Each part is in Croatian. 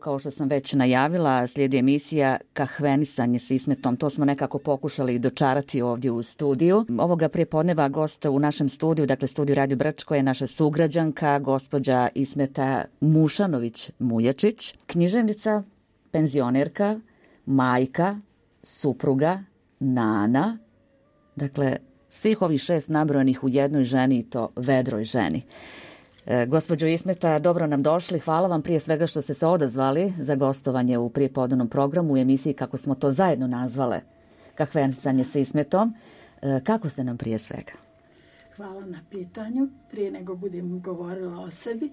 Kao što sam već najavila, slijedi emisija Kahvenisanje sa Ismetom. To smo nekako pokušali dočarati ovdje u studiju. Ovoga prijepodneva gost u našem studiju, dakle studiju Radio Brčko, je naša sugrađanka, gospođa Ismeta Mušanović-Mujačić, književnica, penzionerka, majka, supruga, nana, dakle svih ovih 6 nabrojanih u jednoj ženi i to vedroj ženi. Gospođo Ismeta, dobro nam došli. Hvala vam prije svega što ste se odazvali za gostovanje u prijepodnevnom programu u emisiji, kako smo to zajedno nazvale, Kahvenisanje sa Ismetom. Kako ste nam prije svega? Hvala na pitanju. Prije nego budem govorila o sebi,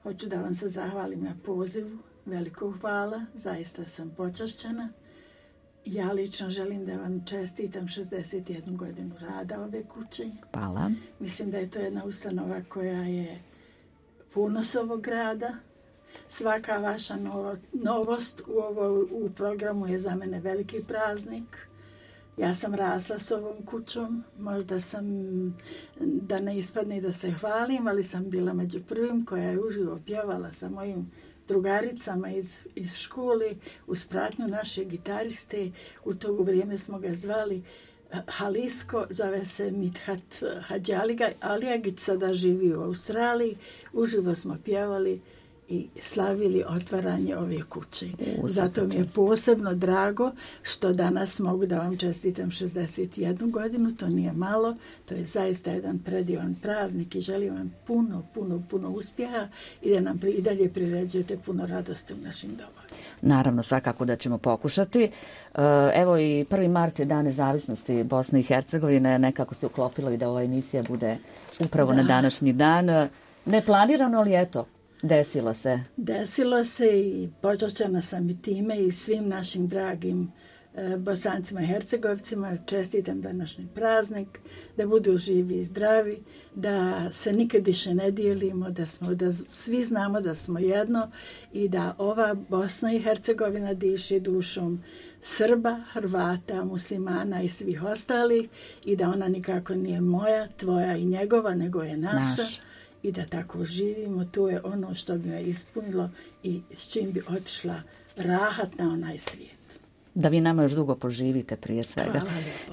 hoću da vam se zahvalim na pozivu. Veliko hvala, zaista sam počašćena. Ja lično želim da vam čestitam 61 godinu rada ove kuće. Hvala. Mislim da je to jedna ustanova koja je ponos ovog grada. Svaka vaša novost u programu je za mene veliki praznik. Ja sam rasla s ovom kućom, možda sam, da ne ispadne da se hvalim, ali sam bila među prvim koja je uživo pjevala sa mojim drugaricama iz škole uz pratnju naše gitariste. U to vrijeme smo ga zvali Halisko, zove se Mithat Hadži Alijagić, sada živi u Australiji. Uživo smo pjevali i slavili otvaranje ove kuće. Zato mi je posebno drago što danas mogu da vam čestitam 61 godinu, to nije malo, to je zaista jedan predivan praznik i želim vam puno uspjeha i da nam i dalje priređujete puno radosti u našim domovima. Naravno, svakako da ćemo pokušati. Evo i 1. mart je Dan nezavisnosti Bosne i Hercegovine, nekako se uklopilo i da ova emisija bude upravo na današnji dan. Neplanirano, ali eto, desilo se. Desilo se i počašćena sam i time i svim našim dragim Bosancima i Hercegovcima čestitam današnji praznik, da budu živi i zdravi, da se nikad više ne dijelimo, da svi znamo da smo jedno i da ova Bosna i Hercegovina diše dušom Srba, Hrvata, muslimana i svih ostalih i da ona nikako nije moja, tvoja i njegova, nego je naša. I da tako živimo, to je ono što bi me ispunilo i s čim bi otišla rahat na onaj svijet. Da vi nama još dugo poživite prije svega.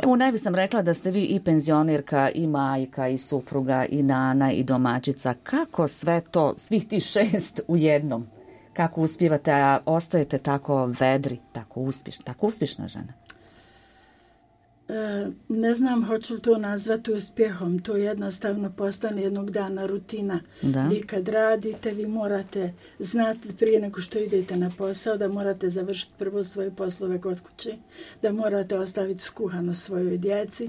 Evo, ne bi sam rekla da ste vi i penzionerka, i majka, i supruga, i nana, i domaćica. Kako sve to, svih tih 6 u jednom? Kako uspijevate, a ostajete tako vedri, tako uspješna žena? Ne znam hoću li to nazvati uspjehom, to jednostavno postane jednog dana rutina. Vi kad radite, vi morate znati prije nego što idete na posao da morate završiti prvo svoje poslove kod kuće, da morate ostaviti skuhano svojoj djeci,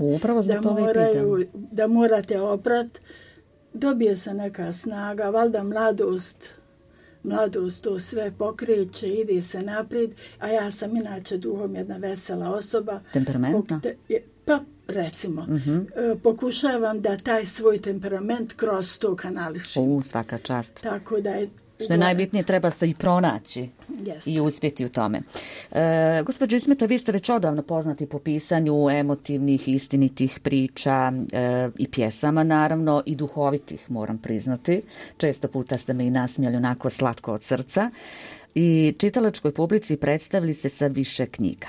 da morate oprat, dobije se neka snaga, valjda mladost to sve pokreće, ide se naprijed, a ja sam inače duhom jedna vesela osoba. Temperamentna? Pa, recimo, pokušavam da taj svoj temperament kroz to kanališim. Svaka čast. Tako da je... Što je najbitnije, treba se i pronaći i uspjeti u tome. Gospođo Ismeta, vi ste već odavno poznati po pisanju emotivnih, istinitih priča i pjesama, naravno, i duhovitih, moram priznati. Često puta ste me i nasmijali onako slatko od srca. I čitalačkoj publici predstavili se sa više knjiga.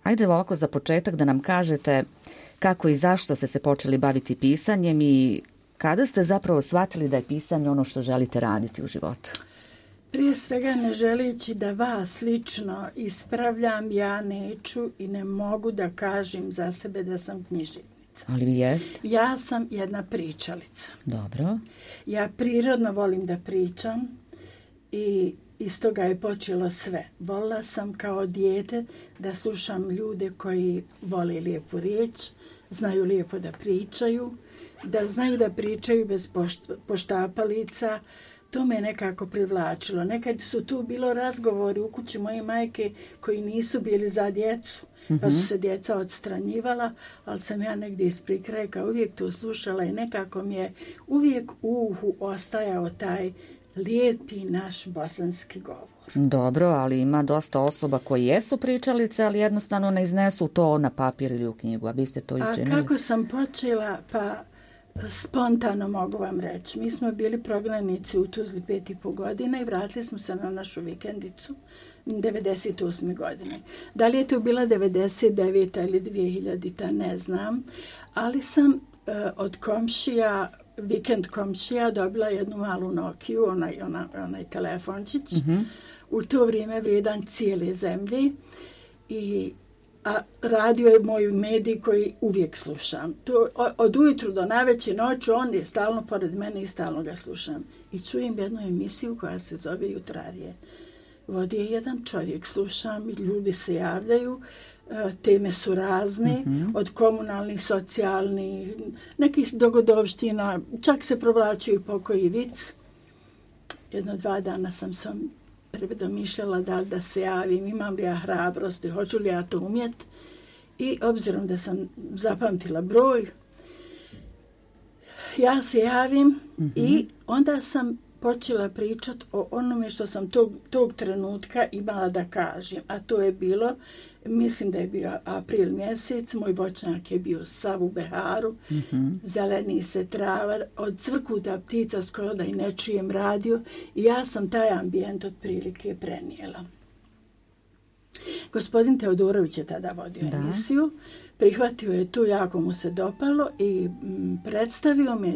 Ajde ovako za početak da nam kažete kako i zašto ste se počeli baviti pisanjem i kada ste zapravo shvatili da je pisanje ono što želite raditi u životu? Prije svega, ne želeći da vas lično ispravljam, ja neću i ne mogu da kažem za sebe da sam književnica. Ali vi jeste? Ja sam jedna pričalica. Dobro. Ja prirodno volim da pričam i iz toga je počelo sve. Volila sam kao dijete da slušam ljude koji vole lijepu riječ, znaju lijepo da pričaju, da znaju da pričaju bez poštapalica. To me nekako privlačilo. Nekad su tu bilo razgovori u kući moje majke koji nisu bili za djecu, pa su se djeca odstranjivala, ali sam ja negdje ispred kraja uvijek to slušala i nekako mi je uvijek u uhu ostajao taj lijepi naš bosanski govor. Dobro, ali ima dosta osoba koji jesu pričalice, ali jednostavno ne iznesu to na papir ili u knjigu, a vi ste to i učinili. A kako sam počela, pa Spontano mogu vam reći. Mi smo bili prognanici u Tuzli 5,5 godina i vratili smo se na našu vikendicu 98. godine. Da li je to bila 99. ili 2000. ne znam, ali sam od komšija, vikend komšija, dobila jednu malu Nokiju, onaj telefončić, u to vrijeme vrijedan cijele zemlje, a radio je moj medij koji uvijek slušam. To, od ujutru do navečer noću on je stalno pored mene i stalno ga slušam. I čujem jednu emisiju koja se zove Jutrarije. Vodi je jedan čovjek, slušam i ljudi se javljaju, teme su razne, od komunalnih, socijalnih, nekih dogodovština, čak se provlačio i pokoji vic. 1-2 dana sam predomišljala da se javim, imam li ja hrabrosti, hoću li ja to umjeti. I obzirom da sam zapamtila broj, ja se javim i onda sam počela pričati o onome što sam tog trenutka imala da kažem. A to je bilo, mislim da je bio april mjesec, moj voćnjak je bio sav u beharu, zeleni se trava, od cvrkuta ptica skoro da i ne čujem radio i ja sam taj ambijent otprilike prenijela. Gospodin Teodorović je tada vodio emisiju, prihvatio je tu, jako mu se dopalo i predstavio me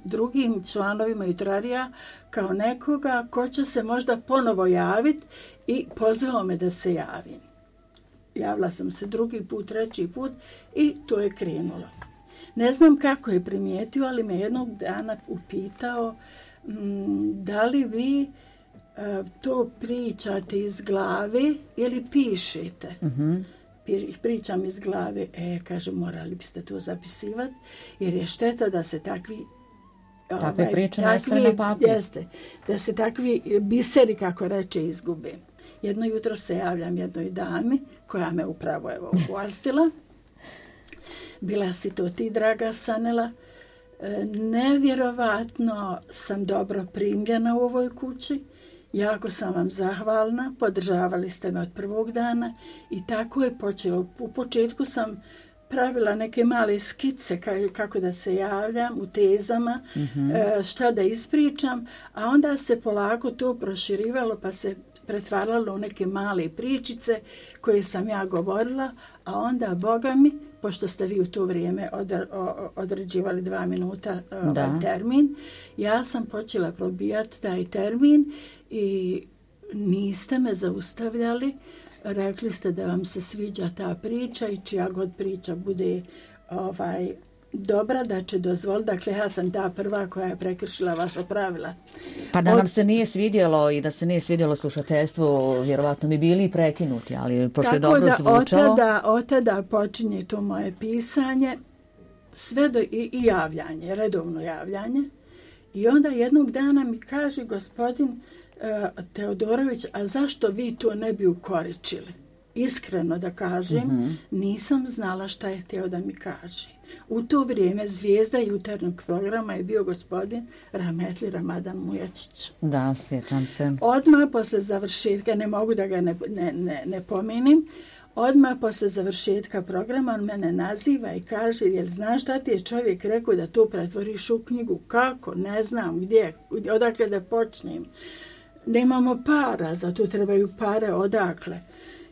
drugim članovima Jutrarija kao nekoga ko će se možda ponovo javiti i pozvao me da se javim. Javila sam se 2. put, 3. put i to je krenulo. Ne znam kako je primijetio, ali me jednog dana upitao da li vi to pričate iz glave ili pišete. Pričam iz glave, kaže, morali biste to zapisivati, jer je šteta da se takve priče nestane na papir. Jeste, da se takvi biseri, kako reče, izgube. Jedno jutro se javljam jednoj dami, koja me upravo ugostila. Bila si to ti, draga Sanela. Nevjerovatno sam dobro primljena u ovoj kući. Jako sam vam zahvalna, podržavali ste me od prvog dana i tako je počelo. U početku sam pravila neke male skice kako da se javljam u tezama, šta da ispričam, a onda se polako to proširivalo pa se pretvaralo u neke male pričice koje sam ja govorila, a onda, Boga mi, pošto ste vi u to vrijeme određivali 2 minuta termin, ja sam počela probijati taj termin i niste me zaustavljali. Rekli ste da vam se sviđa ta priča i čija god priča bude dobra, da će dozvoliti. Dakle, ja sam ta prva koja je prekršila vaša pravila. Pa da nam se nije svidjelo i da se nije svidjelo slušateljstvu, vjerovatno bi bili prekinuti, ali pošto je dobro zvučalo. Od tada počinje to moje pisanje, sve i javljanje, redovno javljanje. I onda jednog dana mi kaže gospodin Teodorović, a zašto vi to ne bi ukoričili? Iskreno da kažem, nisam znala šta je htio da mi kaže. U to vrijeme zvijezda jutarnjeg programa je bio gospodin Rahmetli Ramadan Mujačić. Da, sjećam se. Odmah posle završetka, ne mogu da ga ne pomenim, odmah posle završetka programa on mene naziva i kaže, jel znaš šta ti je čovjek rekao da to pretvoriš u knjigu? Kako? Ne znam gdje, odakle da počnem. Nemamo para, zato trebaju pare, odakle?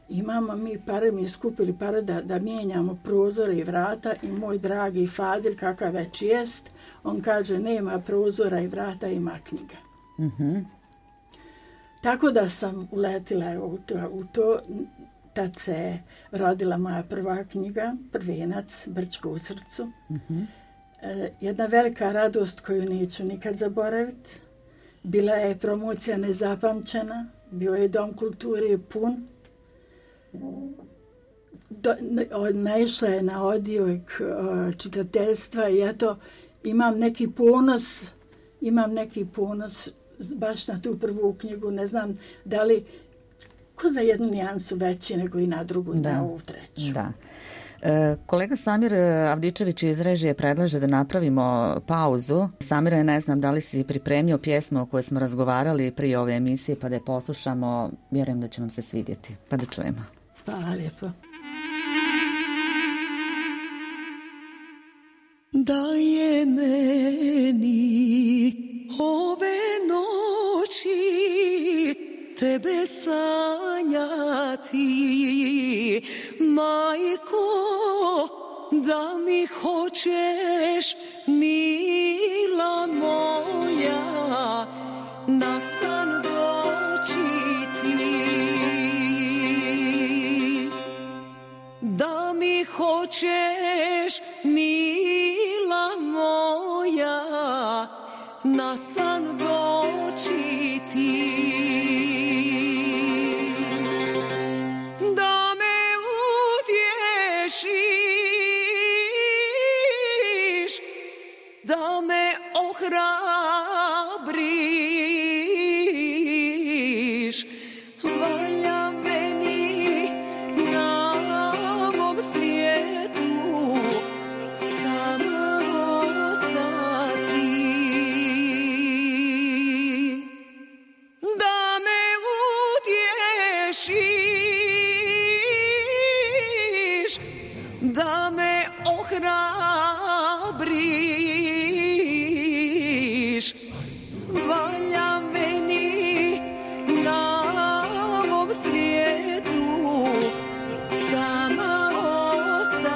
Imamo mi pare, mi skupili pare da mijenjamo prozore i vrata i moj dragi Fadil, kakav već jest, on kaže nema prozora i vrata, ima knjiga. Tako da sam uletila u to. Tad se rodila moja prva knjiga, Prvenac, Brčko u srcu. Jedna velika radost koju neću nikad zaboraviti. Bila je promocija nezapamćena, bio je Dom kulture pun. Naišla je na odjek čitateljstva i eto, imam neki ponos baš na tu prvu knjigu. Ne znam da li ko za jednu nijansu veći nego i na drugu i na ovu treću. Da. Kolega Samir Avdičević iz režije predlaže da napravimo pauzu. Samire, ne znam da li si pripremio pjesmu o kojoj smo razgovarali prije ove emisije, pa da je poslušamo. Vjerujem da će nam se svidjeti. Pa da čujemo. Hvala lijepo. Da je meni ove noći tebe sanjati, majko, da mi hoćeš, mila moja, na san doći ti. Da mi hoćeš, mila moja, na san doći ti. Da me utješiš, da me ohrabriš, valja meni na ovom svijetu sama ostati. Da me utješiš, da me ohrabriš, valja meni na ovom svijetu sama ostati.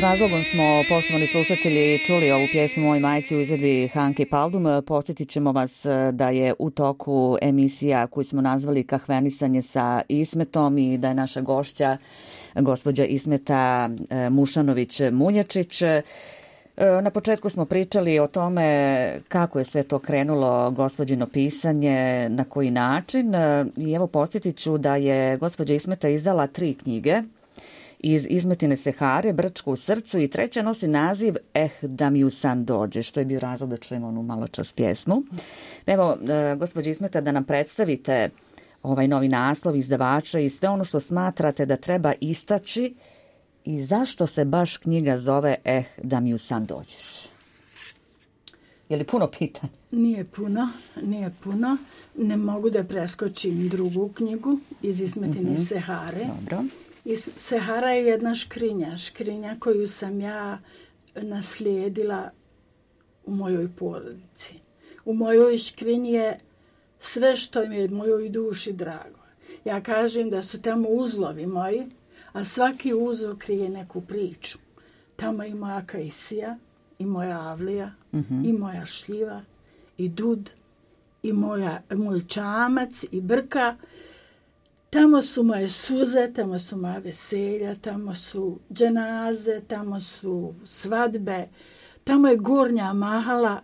razlogom smo, poštovani slušatelji, čuli ovu pjesmu Moj majci u izvedbi Hanke Paldum. Podsjetit ćemo vas da je u toku emisija koju smo nazvali Kahvenisanje sa Ismetom i da je naša gošća gospođa Ismeta Mušanović-Muljačić. Na početku smo pričali o tome kako je sve to krenulo, gospođino pisanje, na koji način. I evo podsjetit ću da je gospođa Ismeta izdala 3 knjige iz Ismetine Sehare, Brčko u srcu, i treća nosi naziv Da mi u san dođe, što je bio razlog da čujemo onu malo čas pjesmu. Evo, gospođa Ismeta, da nam predstavite ovaj novi naslov izdavača i sve ono što smatrate da treba istaći i zašto se baš knjiga zove Da mi u san dođeš. Je li puno pitanja? Nije puno. Ne mogu da preskočim drugu knjigu iz Ismetine Sehare. Dobro. Sehara je jedna škrinja koju sam ja naslijedila u mojoj porodici. U mojoj škrinji je sve što mi je mojoj duši drago. Ja kažem da su tamo uzlovi moji, a svaki uzlov krije neku priču. Tamo i moja kajsija, i moja avlija, i moja šljiva, i dud, i moj čamac, i brka. Tamo su moje suze, tamo su moja veselja, tamo su dženaze, tamo su svadbe, tamo je gornja mahala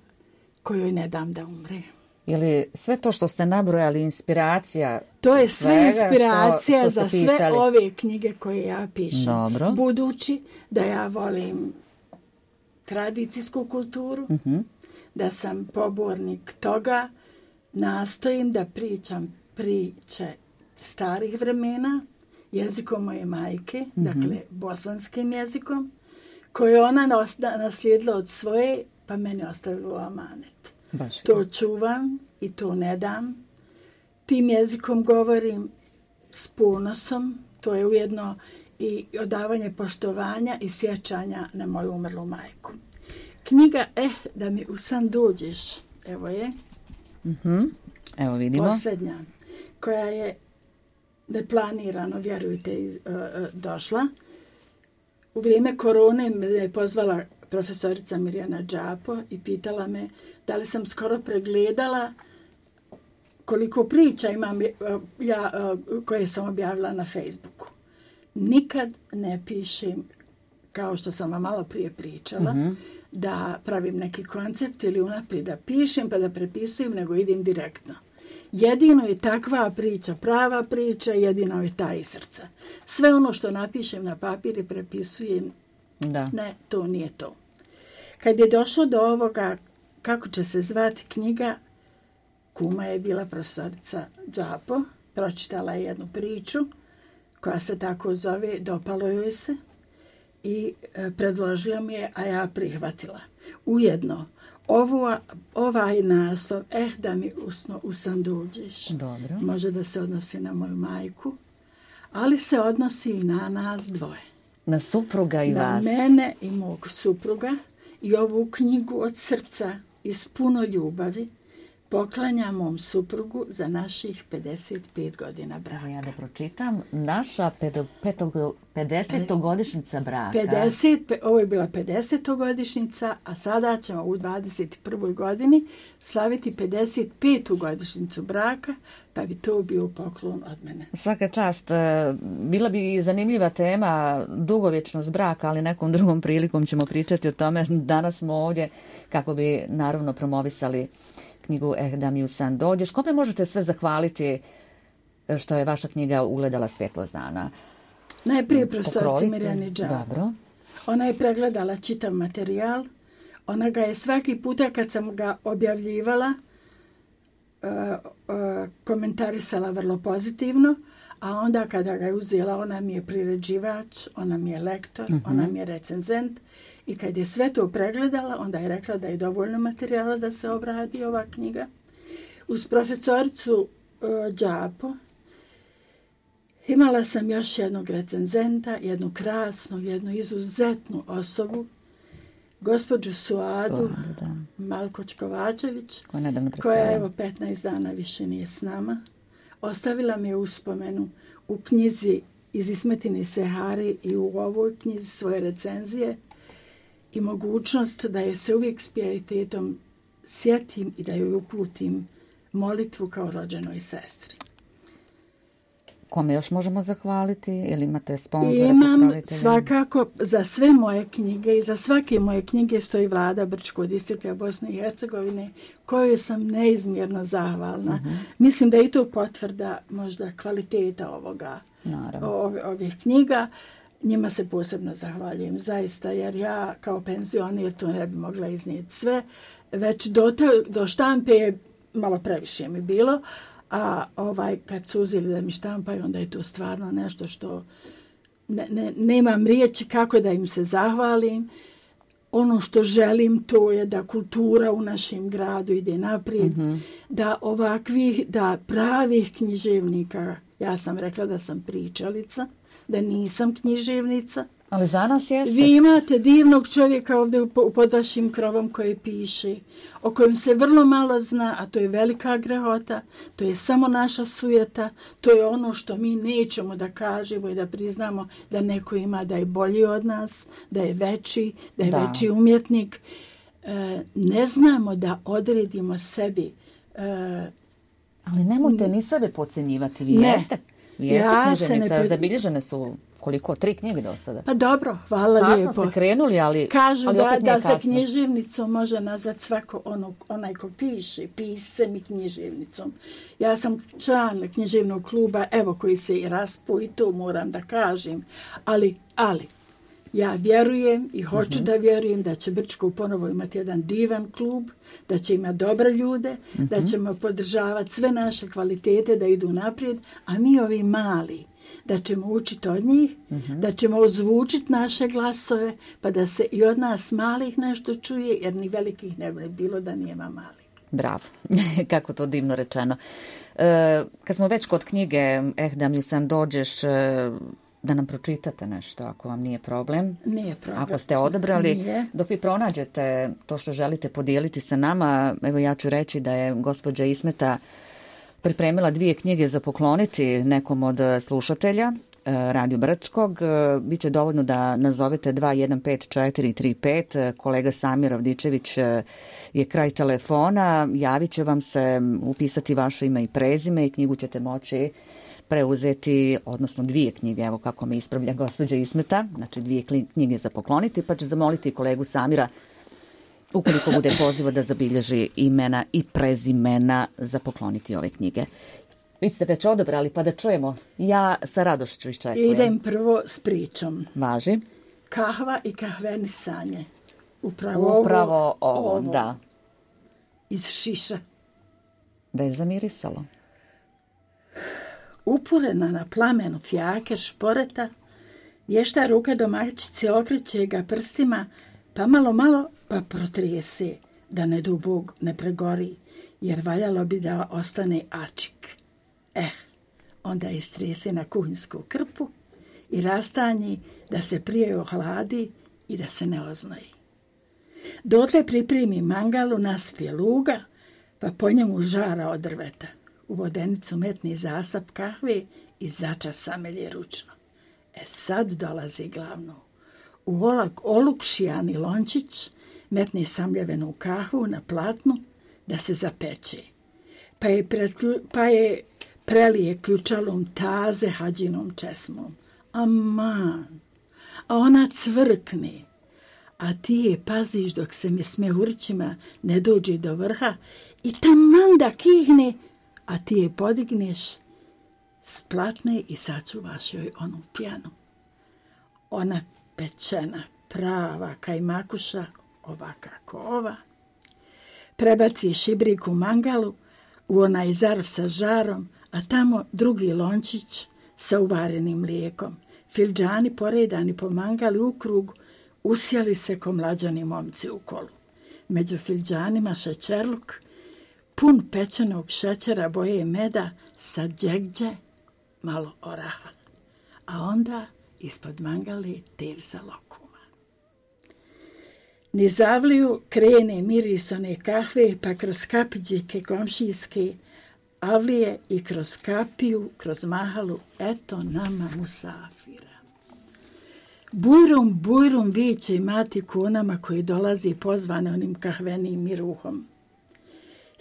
kojoj ne dam da umre. Ili sve to što ste nabrojali inspiracija? To je sve inspiracija što za sve ove knjige koje ja pišem. Dobro. Budući da ja volim tradicijsku kulturu, da sam pobornik toga, nastojim da pričam priče starih vremena, jezikom moje majke, dakle bosanskim jezikom, koje ona naslijedila od svoje, pa meni ostavila u amanet. To čuvam i to ne dam. Tim jezikom govorim s ponosom, to je ujedno i odavanje poštovanja i sjećanja na moju umrlu majku. Knjiga Da mi u san dođeš, evo je. Evo vidimo. Posljednja, koja je neplanirano, vjerujte, došla. U vrijeme korone me je pozvala profesorica Mirjana Đapo i pitala me da li sam skoro pregledala koliko priča imam koje sam objavila na Facebooku. Nikad ne pišem, kao što sam vam malo prije pričala, da pravim neki koncept ili unaprijed da pišem pa da prepisujem, nego idem direktno. Jedino je takva priča, prava priča, jedino je ta iz srca. Sve ono što napišem na papir i prepisujem, ne, to nije to. Kad je došlo do ovoga, kako će se zvati knjiga, kuma je bila profesorica Đapo, pročitala je jednu priču koja se tako zove, dopalo joj se i predložila mi je, a ja prihvatila. Ujedno, ovaj naslov, da mi u san dođeš, može da se odnosi na moju majku, ali se odnosi i na nas dvoje. Na supruga i vas. Na mene i mog supruga. I ovu knjigu od srca i s puno ljubavi poklanjam mom suprugu za naših 55 godina braka. Ja da pročitam. Naša 50-godišnjica braka. Ovo je bila 50-godišnjica, a sada ćemo u 21. godini slaviti 55. godišnjicu braka, pa bi to bio poklon od mene. Svaka čast. Bila bi zanimljiva tema dugovječnost braka, ali nekom drugom prilikom ćemo pričati o tome. Danas smo ovdje kako bi naravno promovisali knjigu Da mi u san dođeš. Kome možete sve zahvaliti što je vaša knjiga ugledala svjetlost dana? Najprije profesorici Mirjani Đapo. Dobro. Ona je pregledala čitav materijal. Ona ga je svaki puta kad sam ga objavljivala komentarisala vrlo pozitivno, a onda kada ga je uzela, ona mi je priređivač, ona mi je lektor, ona mi je recenzent. I kad je sve to pregledala, onda je rekla da je dovoljno materijala da se obradi ova knjiga. Uz profesoricu Đapo imala sam još jednog recenzenta, jednu krasnu, jednu izuzetnu osobu, gospođu Suadu Malkoć-Kovačević, koja evo 15 dana više nije s nama. Ostavila mi je uspomenu u knjizi iz Ismetine Sehare i u ovoj knjizi svoje recenzije. i mogućnost da je se uvijek s pijetetom sjetim i da joj uputim molitvu kao rođenoj sestri. Kome još možemo zahvaliti? Ili imate sponzore? Imam svakako za sve moje knjige i za svake moje knjige stoji vlada Brčkog distrikta Bosne i Hercegovine, kojoj sam neizmjerno zahvalna. Mislim da je i to potvrda možda kvaliteta ovih knjiga. Njima se posebno zahvaljujem zaista, jer ja kao penzioner to ne bi mogla iznijeti sve. Već do štampe je malo previše mi bilo, a kad su uzeli da mi štampaju, onda je to stvarno nešto što nemam riječi kako da im se zahvalim. Ono što želim to je da kultura u našem gradu ide naprijed, da pravih književnika, ja sam rekla da sam pričalica, da nisam književnica. Ali za nas jeste. Vi imate divnog čovjeka ovdje pod vašim krovom koji piše, o kojem se vrlo malo zna, a to je velika grehota, to je samo naša sujeta, to je ono što mi nećemo da kažemo i da priznamo da neko ima da je bolji od nas, da je veći, veći umjetnik. Ne znamo da odredimo sebi. Ali nemojte ni sebe podcjenjivati, vi jeste. Vi jeste književnica, zabilježene su koliko? 3 knjige do sada. Pa dobro, hvala kasno lijepo. Kasno ste krenuli, ali kažu ali da se književnicom može nazvati svako onaj ko piše, piscem i književnicom. Ja sam član književnog kluba, evo koji se i raspo i to moram da kažem. Ali ja vjerujem i hoću da vjerujem da će Brčko ponovo imati jedan divan klub, da će imati dobre ljude, da ćemo podržavati sve naše kvalitete da idu naprijed, a mi ovi mali, da ćemo učiti od njih, da ćemo ozvučiti naše glasove, pa da se i od nas malih nešto čuje, jer ni velikih ne bi bilo da nema malih. Bravo, kako to divno rečeno. Kad smo već kod knjige da mi sam dođeš, da nam pročitate nešto, ako vam nije problem. Nije problem. Ako ste odabrali, dok vi pronađete to što želite podijeliti sa nama, evo ja ću reći da je gospođa Ismeta pripremila 2 knjige za pokloniti nekom od slušatelja Radio Brčkog. Biće dovoljno da nazovete 215435. Kolega Samir Avdičević je kraj telefona. Javit će vam se, upisati vaše ime i prezime i knjigu ćete moći preuzeti, odnosno 2 knjige, evo kako me ispravlja gospođa Ismeta, znači 2 knjige za pokloniti, pa će zamoliti kolegu Samira, ukoliko bude poziva, da zabilježi imena i prezimena za pokloniti ove knjige. Vi ste već odabrali, pa da čujemo. Ja sa radošću iščekujem. Idem prvo s pričom. Važi. Kahva i kahvenisanje. Upravo ovo. Da. Iz šiša. Da je zamirisalo. Upurena na plamenu fjaker šporeta, vješta ruka domaćice okreće ga prstima, pa malo pa protrese, da ne dubog ne pregori, jer valjalo bi da ostane ačik. Onda istrese na kuhinsku krpu i rastanji da se prije ohladi i da se ne oznoji. Dotle pripremi mangalu, naspije luga, pa po njemu žara od drveta. U vodenicu metni zasap kahve i začas samelje ručno. Sad dolazi glavno. U olukšijani lončić metni samljevenu kahvu na platnu da se zapeče. Pa je prelije ključalom taze hađinom česmom. Aman, a ona cvrkne. A ti je paziš dok se mi smehurićima ne dođe do vrha i taman da kihne, a ti je podigneš, splatne i sačuvaš joj onu pjanu. Ona pečena, prava kajmakuša, ova kako ova. Prebaci šibrik u mangalu, u onaj zarv sa žarom, a tamo drugi lončić sa uvarenim mlijekom. Filđani poredani po mangali u krug, usjeli se ko mlađani momci u kolu. Među filđanima šećerluk, pun pečenog šećera, boje meda, sa džegđe, malo oraha. A onda ispod mangali tev sa lokuma. Niz avliju krene miris one kahve, pa kroz kapiđike komšijske avlije i kroz kapiju, kroz mahalu, eto nama musafira. Bujrum, bujrum viće i mati konama koji dolazi pozvane onim kahvenim miruhom.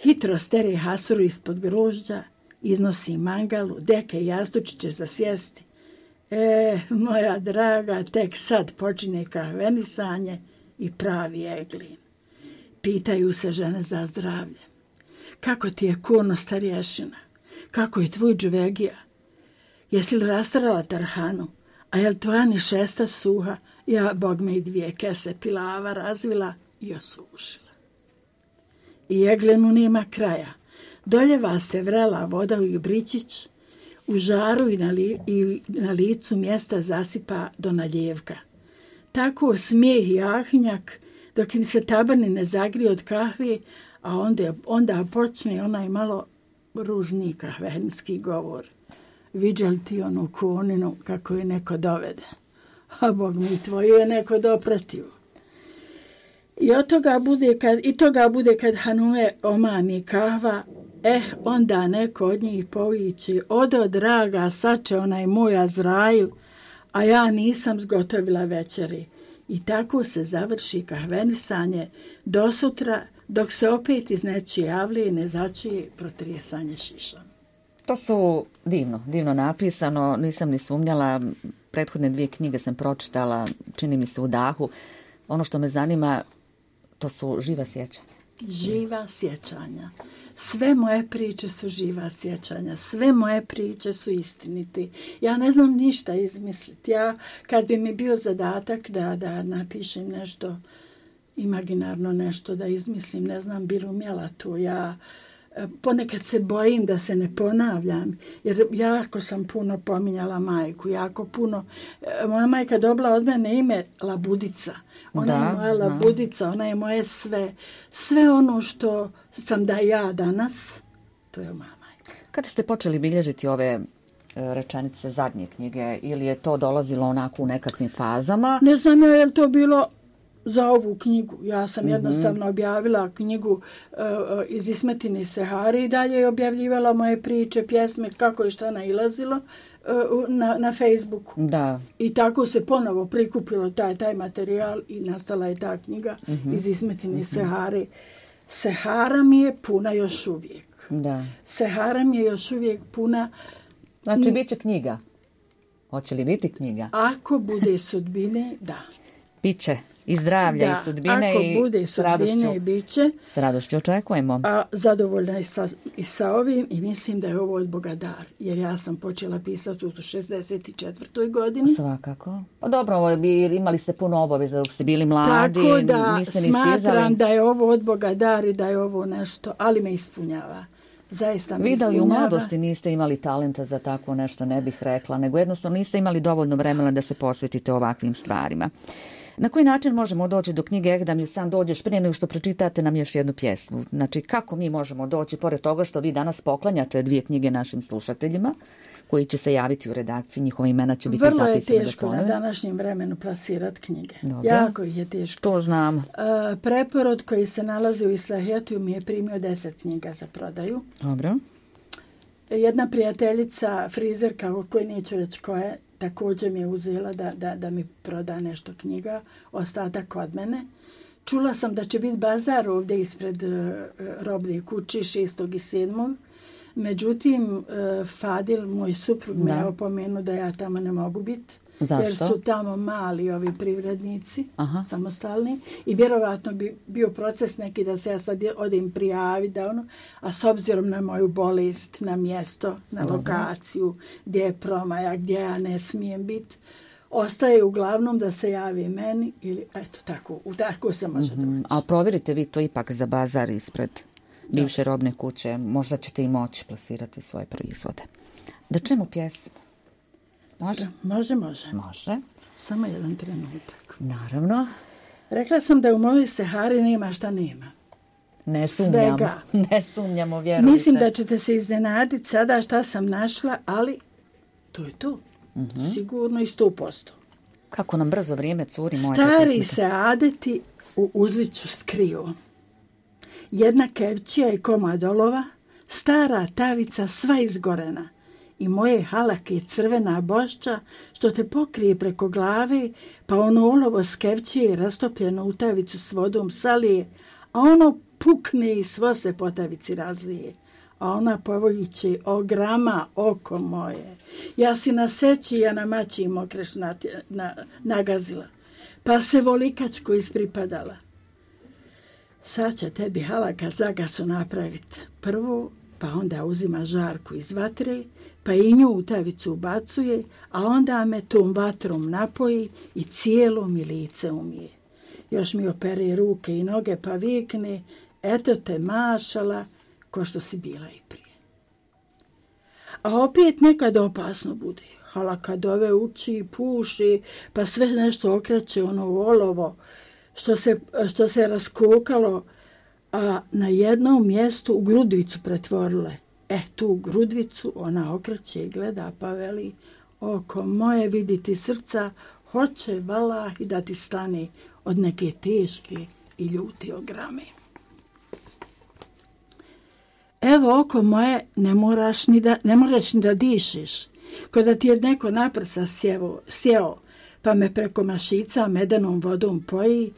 Hitro stere hasuru ispod grožđa, iznosi mangalu, deke i jastučiće za sjesti. Moja draga, tek sad počine kahvenisanje i pravi eglin. Pitaju se žene za zdravlje. Kako ti je kuno starješina? Kako je tvoj džuvegija? Jesi li rastarala tarhanu? A je li tvoja ni šesta suha? Ja, bog me i 2 kese pilava razvila i osušila. I eglenu nema kraja. Doljeva se vrela voda u jubričić, u žaru i na licu mjesta zasipa do naljevka. Tako smijeh i ahnjak, dok im se tabani ne zagrije od kahve, a onda počne onaj malo ružni kahvenski govor. Viđa li ti onu koninu kako je neko dovede? A Bog mi, tvoju je neko dopratio. I toga bude kad Hanume omami kahva, onda neko od njih povići, odo draga, sače onaj moj Azrail, a ja nisam zgotovila večeri. I tako se završi kahvenisanje do sutra, dok se opet iz nečije avlije ne začije protrijesanje šišom. To su divno napisano, nisam ni sumnjala, prethodne 2 knjige sam pročitala, čini mi se u dahu. Ono što me zanima, to su živa sjećanja. Živa sjećanja. Sve moje priče su živa sjećanja, sve moje priče su istiniti. Ja ne znam ništa izmisliti. Ja, kad bi mi bio zadatak da napišem nešto, imaginarno nešto, da izmislim, ne znam, bi li umjela to. Ja ponekad se bojim da se ne ponavljam, jer jako sam puno pominjala majku, jako puno. Moja majka dobila od mene ime Labudica. Ona je moja Labudica, ona je moje sve. Sve ono što sam da ja danas, to je moja majka. Kada ste počeli bilježiti ove rečenice zadnje knjige, ili je to dolazilo onako u nekakvim fazama? Ne znam ja je li to bilo za ovu knjigu. Ja sam jednostavno objavila knjigu iz Ismetine Sehare i dalje je objavljivala moje priče, pjesme, kako je šta nailazilo na Facebooku. Da. I tako se ponovo prikupilo taj materijal i nastala je ta knjiga iz Ismetine Sehare. Sehara mi je puna još uvijek. Da. Sehara mi je još uvijek puna. Znači, bit će knjiga. Hoće li biti knjiga? Ako bude sudbine, da. Biće i zdravlja i sudbine. Ako bude sudbine, bit će. S radošću očekujemo. A zadovoljna i sa ovim i mislim da je ovo od Boga dar. Jer ja sam počela pisati u 64. godini. Svakako. Pa dobro, imali ste puno obaveza dok ste bili mladi. Tako da niste ni smatram stizali. da je ovo od Boga dar i da je ovo nešto, ali me ispunjava. Zaista me Vi da ispunjava. i u mladosti niste imali talenta za tako nešto, ne bih rekla, nego jednostavno niste imali dovoljno vremena da se posvetite ovakvim stvarima. Na koji način možemo doći do knjige da mi sam dođeš prije nego što pročitate nam još jednu pjesmu? Znači, kako mi možemo doći, pored toga što vi danas poklanjate 2 knjige našim slušateljima, koji će se javiti u redakciju, njihova imena će biti zapisane. Vrlo je teško na današnjem vremenu plasirati knjige. Dobro. Jako ih je teško. To znam. Preporod koji se nalazi u Islahijetiju mi je primio 10 knjiga za prodaju. Dobro. Jedna prijateljica, frizerka, o kojoj neću reći ko je, također mi je uzela da mi proda nešto knjiga, ostatak od mene. Čula sam da će biti bazar ovdje ispred roblje kući 6. i 7. Međutim, Fadil, moj suprug, me je opomenuo da ja tamo ne mogu biti. Zašto? Jer su tamo mali ovi privrednici, samostalni, i vjerovatno bi bio proces neki da se ja sad odem prijaviti, a s obzirom na moju bolest, na mjesto, na lokaciju, gdje je promaja, gdje ja ne smijem biti, ostaje uglavnom da se javi meni ili eto tako se može doći. Ali provjerite vi to ipak za bazar ispred bivše robne kuće, možda ćete i moći plasirati svoje proizvode. Da čemu pjesmu? Može? Može. Samo jedan trenutak. Naravno. Rekla sam da u mojoj Sehari nema šta nema. Ne sumnjam. Svega. Ne sumnjamo, vjerujte. Mislim da ćete se iznenaditi sada šta sam našla, ali to je to. Sigurno i 100%. Kako nam brzo vrijeme curi, moja Stari pesmika. se adeti u uzliću skriju. Jedna kevčija i komad olova, stara tavica sva izgorena i moje halake crvena bošća što te pokrije preko glave, pa ono olovo skevčije rastopljeno u tavicu s vodom salije, a ono pukne i svo se po tavici razlije. A ona povoljiće, o grama, oko moje. Ja si na seći, ja na mači mokreš nagazila, pa se volikačko ispripadala. Sad će tebi halaka zagasu napravit. Prvo, pa onda uzima žarku iz vatre, pa i nju u tavicu ubacuje, a onda me tom vatrom napoji i cijelo mi lice umije. Još mi opere ruke i noge pa vikne, eto te mašala, ko što si bila i prije. A opet nekad opasno bude. Halaka dove uči, puši, pa sve nešto okreće ono olovo, što se raskokalo, a na jednom mjestu u grudvicu pretvorile. Tu grudvicu ona okreće i gleda pa veli, oko moje viditi srca, hoće valah i da ti stane od neke teške i ljute ograme. Evo oko moje, ne moraš ni da dišeš, ko da ti je neko na prsa sjeo, pa me preko mašica medenom vodom poji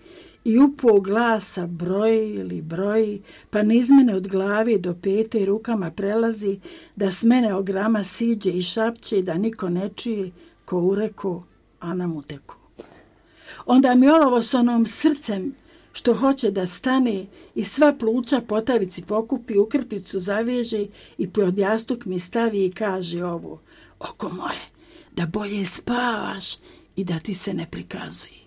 i upo glasa broji, pa niz mene od glave do pete rukama prelazi, da s mene ograma siđe i šapće, da niko ne čuje, ko ureko, a nam uteku. Onda mi olovo s onom srcem što hoće da stane i sva pluća po tavici pokupi, u krpicu zaveže i pod jastuk mi stavi i kaže ovo, oko moje, da bolje spavaš i da ti se ne prikazuje.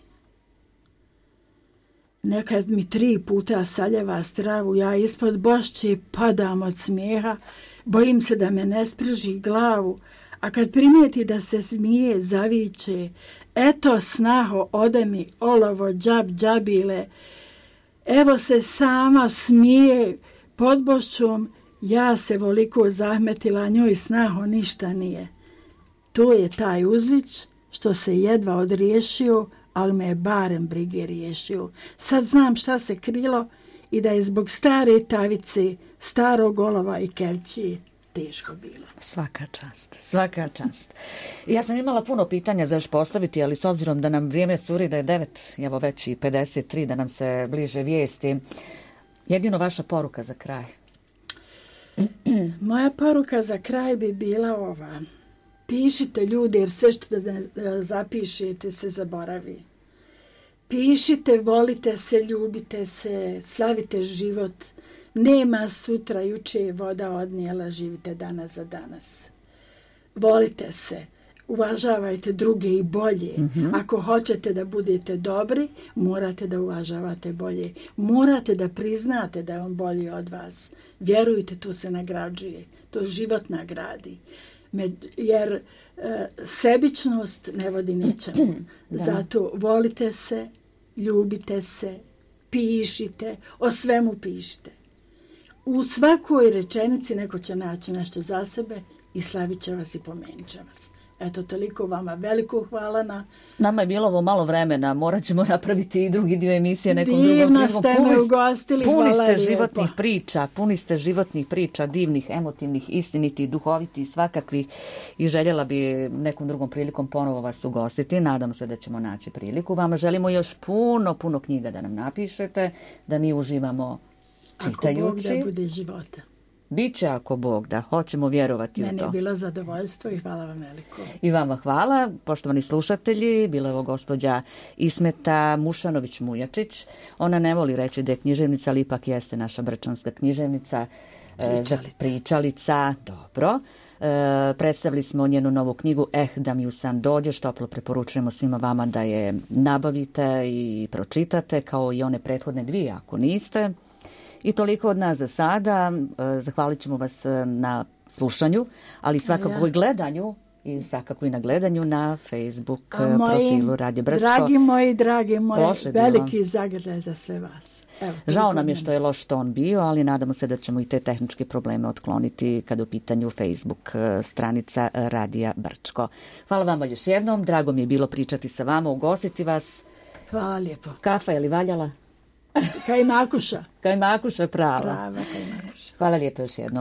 Nekad mi 3 puta saljeva stravu, ja ispod bošće padam od smijeha, bojim se da me ne sprži glavu, a kad primijeti da se smije, zaviče, eto snaho, ode mi olovo džabile, evo se sama smije pod bošćom, ja se voliko zahmetila, njoj snaho ništa nije. To je taj uzlič što se jedva odriješio, ali me je barem brige riješio. Sad znam šta se krilo i da je zbog stare tavice, starog olova i kevčije teško bilo. Svaka čast, svaka čast. Ja sam imala puno pitanja za još postaviti, ali s obzirom da nam vrijeme curi, da je 9, evo već i 53, da nam se bliže vijesti, jedino vaša poruka za kraj. Moja poruka za kraj bi bila ova. Pišite ljudi, jer sve što zapišete se zaboravi. Pišite, volite se, ljubite se, slavite život. Nema sutra, juče je voda odnijela, živite danas za danas. Volite se, uvažavajte druge i bolje. Ako hoćete da budete dobri, morate da uvažavate bolje. Morate da priznate da je on bolji od vas. Vjerujte, tu se nagrađuje. To život nagradi. Jer sebičnost ne vodi ničemu. Zato volite se, ljubite se, pišite, o svemu pišite. U svakoj rečenici neko će naći nešto za sebe i slavit će vas i pomenit će vas. Eto, toliko vama veliko hvala na... Nama je bilo ovo malo vremena, morat ćemo napraviti i drugi dio emisije nekom drugom prilikom. Divno ste me ugostili, hvala lijepo. Puni ste životnih priča, divnih, emotivnih, istinitih, duhovitih, svakakvih i željela bi nekom drugom prilikom ponovo vas ugostiti. Nadam se da ćemo naći priliku. Vama želimo još puno knjiga da nam napišete, da mi uživamo čitajući. Ako Bog da bude života. Biće ako Bog da, hoćemo vjerovati u to. Mene je bilo zadovoljstvo i hvala vam veliko. I vama hvala, poštovani slušatelji, bila je ovo gospođa Ismeta Mušanović-Mujačić. Ona ne voli reći da je književnica, ali ipak jeste naša brčanska književnica. Pričalica, dobro. Predstavili smo njenu novu knjigu da mi u san dođeš, toplo preporučujemo svima vama da je nabavite i pročitate, kao i one prethodne 2 ako niste. I toliko od nas za sada. Zahvalit ćemo vas na slušanju, ali svakako i gledanju i svakako i na gledanju na Facebook profilu Radio Brčko. Dragi moji, veliki zagrljaj za sve vas. Evo, žao nam je što je loš ton bio, ali nadamo se da ćemo i te tehničke probleme otkloniti kada u pitanju Facebook stranica Radija Brčko. Hvala vam još jednom, drago mi je bilo pričati sa vama, ugostiti vas. Hvala lijepo. Kafa je li valjala? Kajmakuša. Kajmakuša, prava. Prava kajmakuša. Hvala lijepo još jednom.